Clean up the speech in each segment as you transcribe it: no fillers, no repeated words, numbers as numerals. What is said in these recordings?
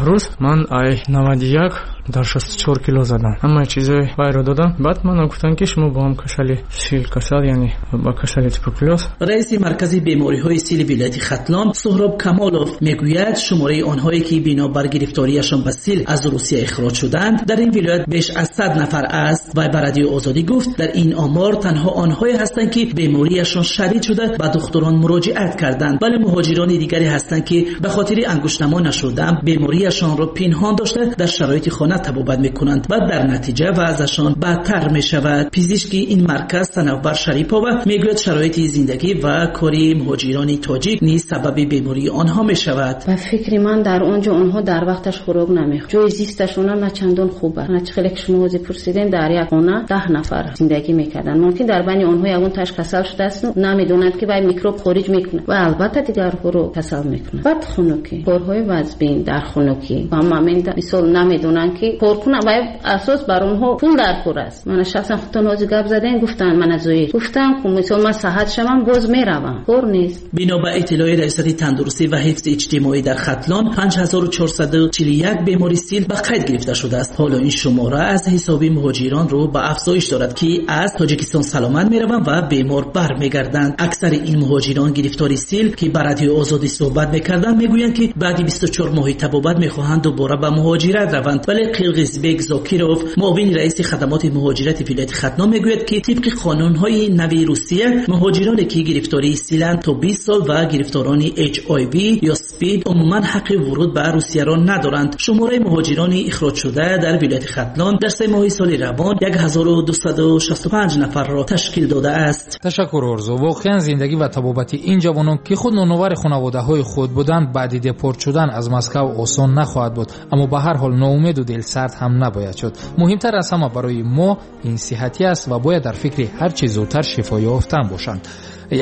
10 рӯз ман ай 91 дар 64 кило задам. Ҳамаи чизои вайро додам. Баъд мана гуфтанд, ки шумо бо ҳам касали сил касал, яъне ба касали туберкулёз. Раиси маркази бемориҳои сили вилояти Хатлон Суҳроб Камолов мегӯяд, шумораи онҳое ки бинобар гирифториашон ба сил аз Русия ихроҷ шуданд, дар ин вилоят беш аз 100 нафар аст. Вай ба Радиои Озодӣ гуфт, дар ин омор танҳо онҳое ҳастанд, ки бемориашон шадид шуда ба духтурон муроҷиат карданд, вале муҳоҷирони дигаре ҳастанд, ки ба хотири ангуштнамо нашудан бемориашонро пинҳон дошта дар шароити хона табобат мекунанд ва дар натиҷа вазъашон бадтар мешавад. Пизишки ин марказ Санавбар Шарипова мегӯяд, шароити зиндагӣ ва кори муҳоҷирони тоҷик низ сабаби бемории онҳо мешавад. Ба фикри ман, дар он ҷо онҳо дар вақташ хӯрок намехӯранд, ҷои зисташонам на чандон хуб аст. На чӣ хеле ки шумо ҳозир пурсидем, дар як хона 10 нафар зиндагӣ мекарданд. Мумкин дар байни онҳо ягон таш касал шудааст, намедонанд, ки вай микроб хориҷ мекунад ва албатта дигарҳоро касал мекунад. Баъд хунукӣ, корҳои вазбин дар хунукӣ ва момент мисол намедонанд, ки кор кунанд ва асос бар онҳо пул дар кор аст. Мана шахсан худтон ҳозир гап задем, гуфтанд мана зоир гуфтам, мисол ман саҳат шавам боз меравам, кор нест. Бино ба иттилои раёсати тандурустӣ ва ҳифзи иҷтимоӣ дар Хатлон 5441 бемори сил ба қайд гирифта шудааст. Ҳоло ин шумора аз ҳисоби муҳоҷирон рӯ ба афзоиш дорад, ки аз Тоҷикистон саломат мераванд ва бемор бармегарданд. Аксари ин муҳоҷирон гирифтори сил, ки ба Радиои Озодӣ суҳбат мекарданд, мегӯянд, ки баъди 24 моҳи табобат мехоҳанд дубора ба муҳоҷират раванд. Вале Қирғизбек Зокиров, муовини раиси хадамоти муҳоҷирати вилояти Хатлон, мегӯяд, ки тибқи қонунҳои нави Русия муҳоҷироне, ки гирифтории силанд то 20 сол ва гирифторони HIV ё СПИД умуман ҳаққи вуруд ба Русияро надоранд. Шумораи муҳоҷирони ихроҷшуда дар вилояти Хатлон дар 3 моҳи соли равон 1265 нафарро ташкил додааст. Ташаккур, Орзу. Воқеан зиндагӣ ва табобати ин ҷавонон, ки худ ноновари хонаводаҳои худ буданд, баъди депорт шудан аз Москав осон нахоҳад буд. Аммо ба ҳар ҳол ноумеду дилсард ҳам набояд шуд. Муҳимтар аз ҳама барои мо ин сиҳатӣ аст ва бояд дар фикри ҳар чӣ зудтар шифо ёфтан бошанд.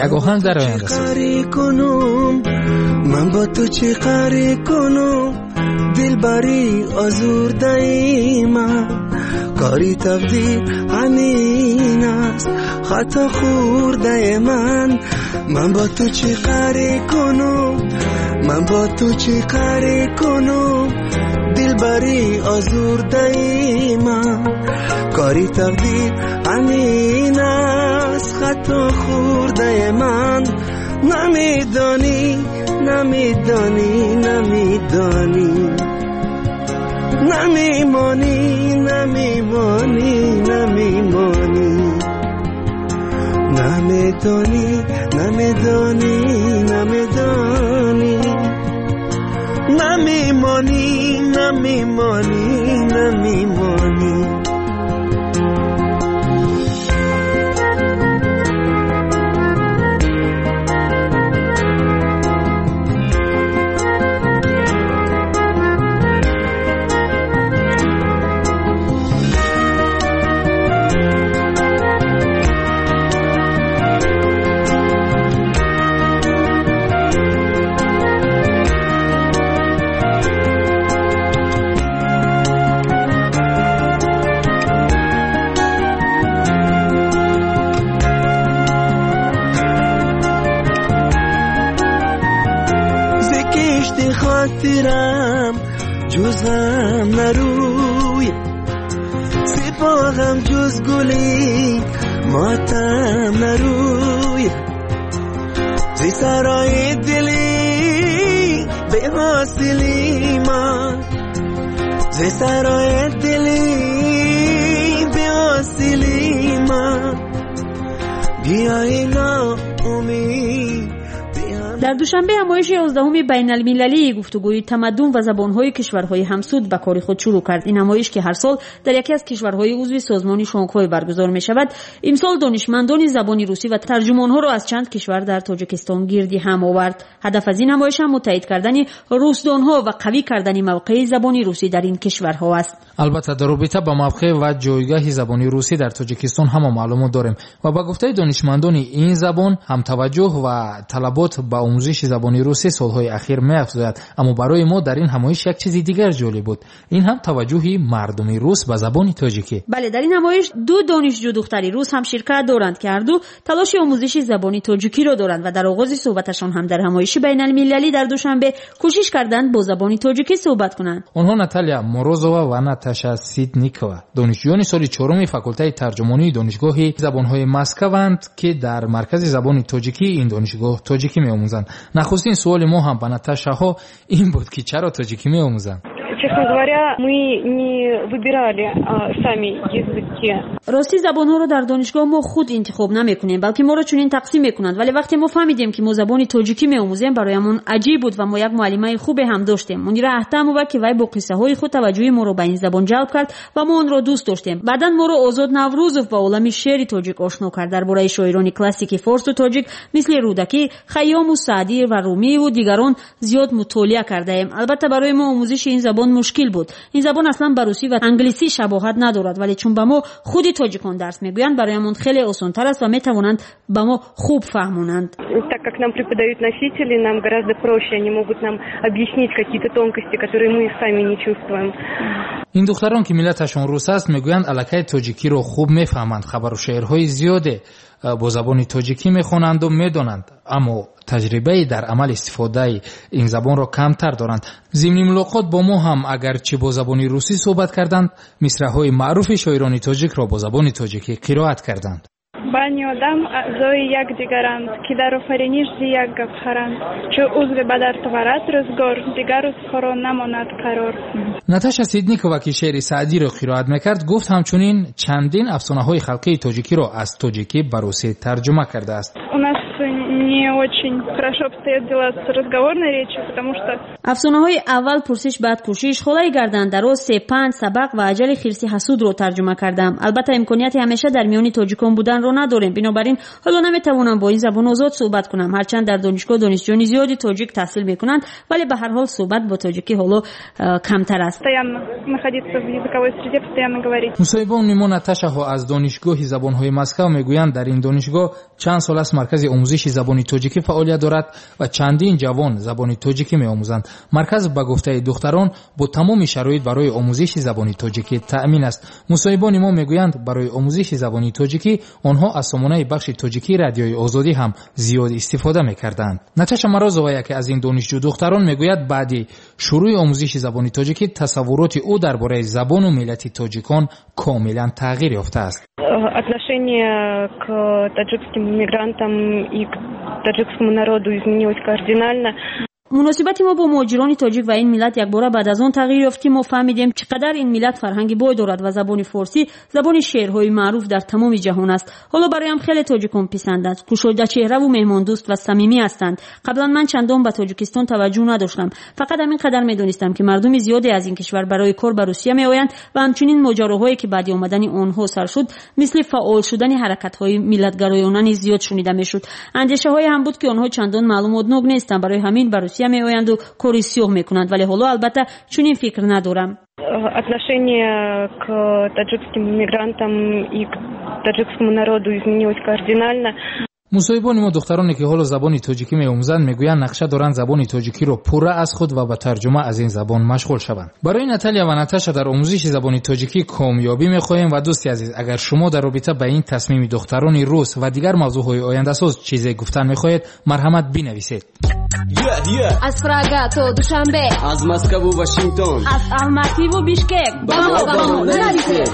Як оҳанг дар оянда ман бо ту чӣ қарӣ кунам, дилбарӣ озурдаи ман, кори тақдир ҳамин аст, хато хӯрдаи ман. Ман бо ту чӣ қарӣ кунам, ман бо ту чӣ қарӣ кунам, дилбарӣ озурдаи ман, кори тақдир ҳамин аст, хато хӯрдаи ман. Намедонӣ, намедонӣ, намедонӣ, намемонӣ, намемонӣ, намемонӣ, намедонӣ, намедонӣ, намедонӣ, намемонӣ, намемонӣ, намемонӣ. خاطرم جز غم نروی، سپاهم جز گلی ماتم نروی، زی سرای دلی به حاصلی ما، زی سرای دلی به حاصلی ما، بیای ناامید. Дар Душанбе ҳамоиши 11-уми байналмилалии гуфтугӯи тамаддун ва забонҳои кишварҳои ҳамсуд ба кори худ шурӯъ кард. Ин ҳамоиш, ки ҳар сол дар яке аз кишварҳои узви созмони Шанхай баргузор мешавад, имсол донишмандони забони русӣ ва тарҷумонҳоро аз чанд кишвар дар Тоҷикистон гирди ҳам овард. Ҳадаф аз ин ҳамоиш ҳам муттаҳид кардани русдонҳо ва қавӣ кардани мавқеи забони русӣ дар ин кишварҳо аст. Албатта, дар робита ба мавқеъ ва ҷойгоҳи забони русӣ дар Тоҷикистон ҳама маълумот дорем ва ба гуфтаи донишмандони ин забон ҳам таваҷҷӯҳ ва талабот ба омӯзиши забони русӣ солҳои ахир меафзояд. Аммо барои мо дар ин ҳамоиш як чизи дигар ҷолиб буд. Ин ҳам таваҷҷӯҳи мардуми рус ба забони тоҷикӣ. Бале, дар ин ҳамоиш ду донишҷӯ духтари рус ҳам ширкат доранд, ки ҳарду талоши омӯзиши забони тоҷикиро доранд ва дар оғози суҳбаташон ҳам дар ҳамоиши байналмилалӣ дар Душанбе кӯшиш карданд бо забони тоҷикӣ суҳбат кунанд. Онҳо Наталия Морозова ва Наташа Ситникова, донишҷӯёни соли чоруми факултаи тарҷумонии Донишгоҳи забонҳои Москваанд, ки дар маркази забони тоҷикии ин донишгоҳ тоҷикӣ меомӯзанд. Нахустин суоли мо ҳам ба Наташаҳо ин буд, ки чаро тоҷикӣ меомӯзанд. Честно говоря, мы не выбирали сами языки. Рости, забонҳоро дар донишгоҳ мо худ интихоб намекунем, балки моро чунин тақсим мекунанд. Вале вақте мо фаҳмидем, ки мо забони тоҷикӣ меомӯзем, бароямон аҷиб буд ва мо як муаллимаи хубе ҳам доштем, Мунира Аҳтамова, ки вай бо қиссаҳои худ таваҷҷӯҳи моро ба ин забон ҷалб кард ва мо онро дӯст доштем. Баъдан моро Озод Наврӯзов ба олами шеъри тоҷик ошно кард. Дар бораи шоирони классики форсу тоҷик мисли Рӯдакӣ, Хайёму Саъдӣ ва Румиву дигарон зиёд мутолиа кардаем. Албатта, барои мо омӯзиши ин забон мушкил буд. Ин забон аслан ба русӣ ва англисӣ шабоҳат надорад, вале чун ба мо худи тоҷикон дарс мегӯянд, бароямон хеле осонтар аст ва метавонанд ба мо хуб фаҳмонанд. Так как нам преподают носители, нам гораздо проще, они могут нам объяснить какие-то тонкости, которые мы сами не чувствуем. Ин духтарон, ки миллаташон рус аст, мегӯянд, аллакай тоҷикиро хуб мефаҳманд, хабару шеърҳои зиёде бо забони тоҷикӣ мехонанду медонанд, аммо таҷрибаи дар амал истифодаи ин забонро камтар доранд. Зимни мулоқот бо мо ҳам, агарчи бо забони русӣ суҳбат карданд, мисраҳои маъруфи шоирони тоҷикро бо забони тоҷикӣ қироат карданд. Бани одам аъзои якдигаранд, ки дар офариниш зи як гавҳаранд. Чу узве ба дард оварад рӯзгор, дигар узвҳоро намонад қарор. Наташа Сидникова, ки шеъри Саъдиро қироат мекард, гуфт, ҳамчунин чандин афсонаҳои халқии тоҷикиро аз тоҷикӣ ба русӣ тарҷума кардааст. У нас не очень хорошо обстоят дела с разговорной речью, потому что Афсонаҳои «Аввал пурсиш, баъд кӯшиш», «Холаи гардандароз», «Сепанд», «Сабақ» ва «Аҷали хирси ҳасудро» тарҷума кардам. Албатта, имконияти ҳамеша дар миёни тоҷикон буданро надорем, бинобар ин ҳоло наметавонам бо ин забон озод суҳбат кунам. Ҳарчанд дар донишгоҳ донишҷӯёни зиёди тоҷик таҳсил мекунанд, вале ба ҳар ҳол суҳбат бо тоҷикӣ ҳоло камтар аст. Постоянно находиться в языковой среде, постоянно говорить. Мусоҳибони мо Наташаҳо аз Донишгоҳи забонҳои Москав мегӯянд, дар ин донишгоҳ чанд сол аст маркази омӯзиши забони тоҷикӣ фаъолият дорад ва чандин ҷавон забони тоҷикӣ меомӯзанд. Марказ, ба гуфтаи духтарон, бо тамоми шароит барои омӯзиши забони тоҷикӣ таъмин аст. Мусоҳибони мо мегӯянд, барои омӯзиши забони тоҷикӣ онҳо аз сомонаи бахши тоҷикии Радиои Озодӣ ҳам зиёд истифода мекарданд. Наташа Морозова, яке аз ин донишҷӯ духтарон, мегӯяд, баъди шурӯъи омӯзиши забони тоҷикӣ тасаввуроти ӯ дар бораи забону миллати тоҷикон комилан тағйир ёфтааст. Отношение к таджикским мигрантам и к таджикскому народу изменилось кардинально. Муносибати мо бо муҳоҷирони тоҷик ва ин миллат якбора баъд аз он тағйир ёфт, ки мо фаҳмидем, чӣ қадар ин миллат фарҳанги бой дорад ва забони форсӣ забони шеърҳои маъруф дар тамоми ҷаҳон аст. Ҳоло бароям хеле тоҷикон писанданд, кушодачеҳраву меҳмондӯст ва самимӣ ҳастанд. Қаблан ман чандон ба Тоҷикистон таваҷҷӯҳ надоштам, фақат ҳамин қадар медонистам, ки мардуми зиёде аз ин кишвар барои кор ба Русия меоянд ва ҳамчунин моҷароҳое, ки баъди омадани онҳо сар шуд, мисли фаъол шудани ҳаракатҳои миллатгароёна низ зиёд шунида мешуд. Андешаҳое ҳам буд, ки онҳо чандон маълумотнок нестанд, барои ҳамин ба Русия меоянду кори сиёҳ мекунанд, вале ҳоло албатта чунин фикр надорам. Отношение к таджикским мигрантам и к таджикскому народу изменилось кардинально. Мусоҳибони мо духтароне, ки ҳоло забони тоҷикӣ меомӯзанд, мегӯянд, нақша доранд забони тоҷикиро пурра аз худ ва ба тарҷума аз ин забон машғул шаванд. Барои Наталия ва Наташа дар омӯзиши забони тоҷикӣ комёбӣ мехоҳем. Ва дӯсти азиз, агар шумо дар робита ба ин тасмими духтарони рус ва дигар мавзӯъҳои ояндасоз чизе гуфтан мехоҳед, марҳамат, бинависед. Аз Прага то Душанбе, аз Москаву Вашингтон, аз Алмативу Бишкек ба мо нависед.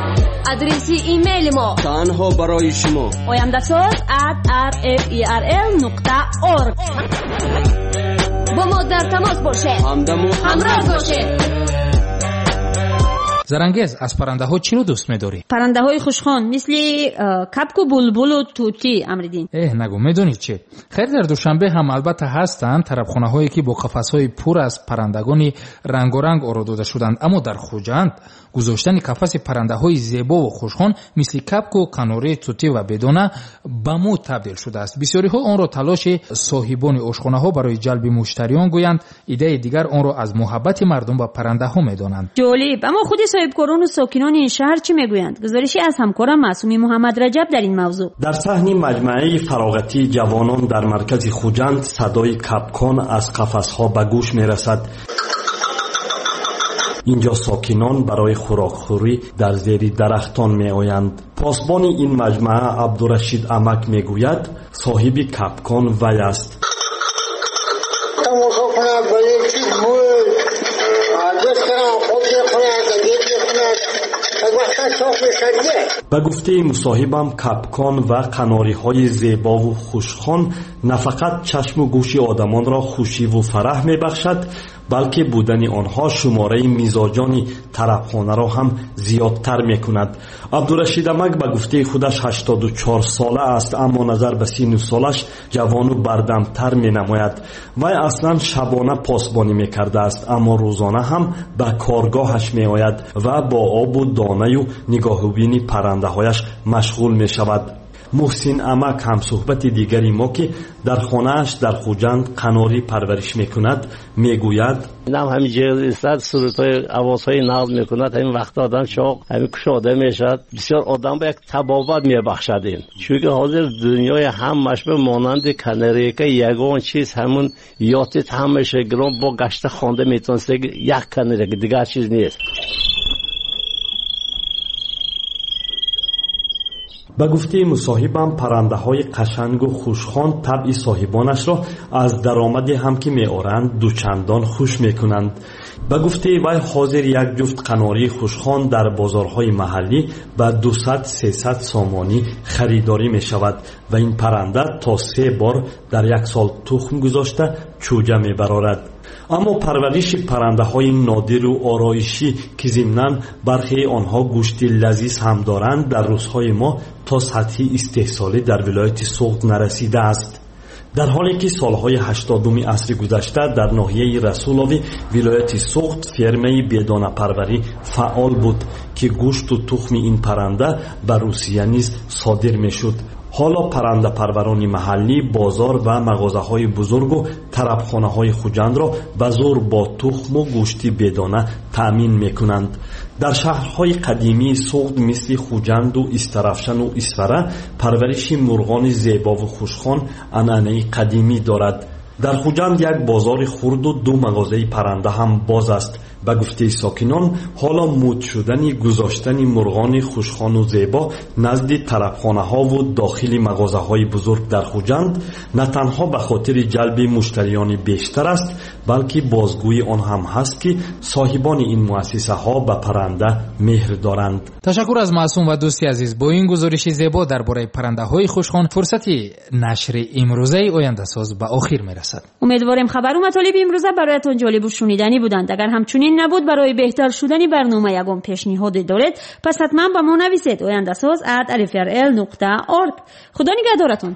Адреси имейли мо танҳо барои шумо: ояндасоз@rferl.org. Бо мо дар тамос бошед, ҳамдаму ҳамроз бошед. Зарангез, аз паррандаҳо чиро дӯст медорӣ? Паррандаҳои хушхон, мисли капку, булбулу тутӣ, Амриддин. Эҳ, нагӯ, медонӣ чӣ? Хайр, дар Душанбе ҳам албатта ҳастанд тарабхонаҳое, ки бо қафасҳои пур аз паррандагони рангоранг оро дода шуданд, аммо дар Хуҷанд гузоштани қафаси паррандаҳои зебову хушхон, мисли капку, канорӣ, тутӣ ва бедона, ба мӯд табдил шудааст. Бисёриҳо онро талоши соҳибони ошхонаҳо барои ҷалби муштариён гӯянд, иддаи дигар онро аз муҳаббати мардум ба паррандаҳо медонанд. Ҷолиб, аммо худи Соҳибкорон ва сокинони ин шаҳр чӣ мегӯянд? Гузоришӣ аз ҳамкорам Маъсуми Муҳаммад Раҷаб дар ин мавзӯъ. Дар саҳни маҷмӯаи фароғатии ҷавонон дар маркази Хуҷанд садои капкон аз қафасҳо ба гӯш мерасад. Инҷо сокинон барои хӯрокхӯрӣ дар зери дарахтон меоянд. Посбони ин маҷмӯа Абдурашид Амак мегӯяд, соҳиби капкон вай аст. Тамошо кунад ба як чиз Ба гуфтаи мусоҳибам, капкон ва қанориҳои зебову хушхон на фақат чашму гӯши одамонро хушиву фараҳ мебахшад, балки будани онҳо шумораи мизоҷони тарабхонаро ҳам зиёдтар мекунад. Абдурашид Амак ба гуфтаи худаш 84 сола аст, аммо назар ба сину солаш ҷавону бардамтар менамояд. Вай аслан шабона посбонӣ мекардааст, аммо рӯзона ҳам ба коргоҳаш меояд ва бо обу донаю нигоҳубини паррандаҳояш машғул мешавад. Муҳсин Амак, ҳамсуҳбати дигари мо, ки дар хонааш дар Хуҷанд қанорӣ парвариш мекунад, мегӯяд: Инам ҳамин ҷер истад, сурудҳои овозҳои нағз мекунад. Ҳамин вақт одам чоқ ҳамин кушода мешавад, бисёр одам ба як табобат мебахшад ин. Чунки ҳозир дунёи ҳамаш ба монанди канарейка ягон чиз ҳамун ётит ҳамаша гирон бо гашта хонда метавонст, як канарейка, дигар чиз нест. Ба гуфтаи мусоҳибам, паррандаҳои қашангу хушхон табъи соҳибонашро аз даромаде ҳам ки меоранд дучандон хуш мекунанд. Ба гуфтаи вай, ҳозир як ҷуфт қанории хушхон дар бозорҳои маҳаллӣ ба 200-300 сомонӣ харидорӣ мешавад ва ин парранда то 3 бор дар як сол тухм гузошта чӯҷа мебарорад. Аммо парвариши паррандаҳои нодиру ороишӣ, ки зимнан бархеи онҳо гӯшти лазиз ҳам доранд, дар рӯзҳои мо то сатҳи истеҳсолӣ дар вилояти Суғд нарасидааст. Дар ҳоле ки солҳои 80-уми асри гузашта дар ноҳияи Расулови вилояти Суғд фермаи бедонапарварӣ фаъол буд, ки гӯшту тухми ин парранда ба Русия низ содир мешуд. Ҳоло паррандапарварони маҳаллӣ бозор ва мағозаҳои бузургу тарабхонаҳои Хуҷандро ба зӯр бо тухму гӯшти бедона таъмин мекунанд. Дар шаҳрҳои қадимии Суғд мисли Хуҷанду Истарафшану Исфара парвариши мурғони зебову хушхон анъанаи қадимӣ дорад. Дар Хуҷанд як бозори хурду 2 мағозаи парранда ҳам боз аст. Ба гуфтаи сокинон, ҳоло муд шудани гузоштани мурғони хушхону зебо назди тарабхонаҳову дохили мағозаҳои бузург дар Хуҷанд на танҳо ба хотири ҷалби муштариёни бештар аст, балки бозгӯи он ҳам ҳаст, ки соҳибони ин муассисаҳо ба парранда меҳр доранд. Ташаккур аз Маъсум ва дӯсти азиз. Бо ин гузориши зебо дар бораи паррандаҳои хушхон фурсати нашри имрӯзаи Ояндасоз ба охир мерасад. Умедворем хабару матолиби имрӯза бароятон ҷолибу шуниданӣ буданд. Агар ҳамчунин набуд, барои беҳтар шудани барнома ягон пешниҳоде доред, пас ҳатман ба мо нависед: oyandasoz@rfrl.org. Худо нигаҳдоратон.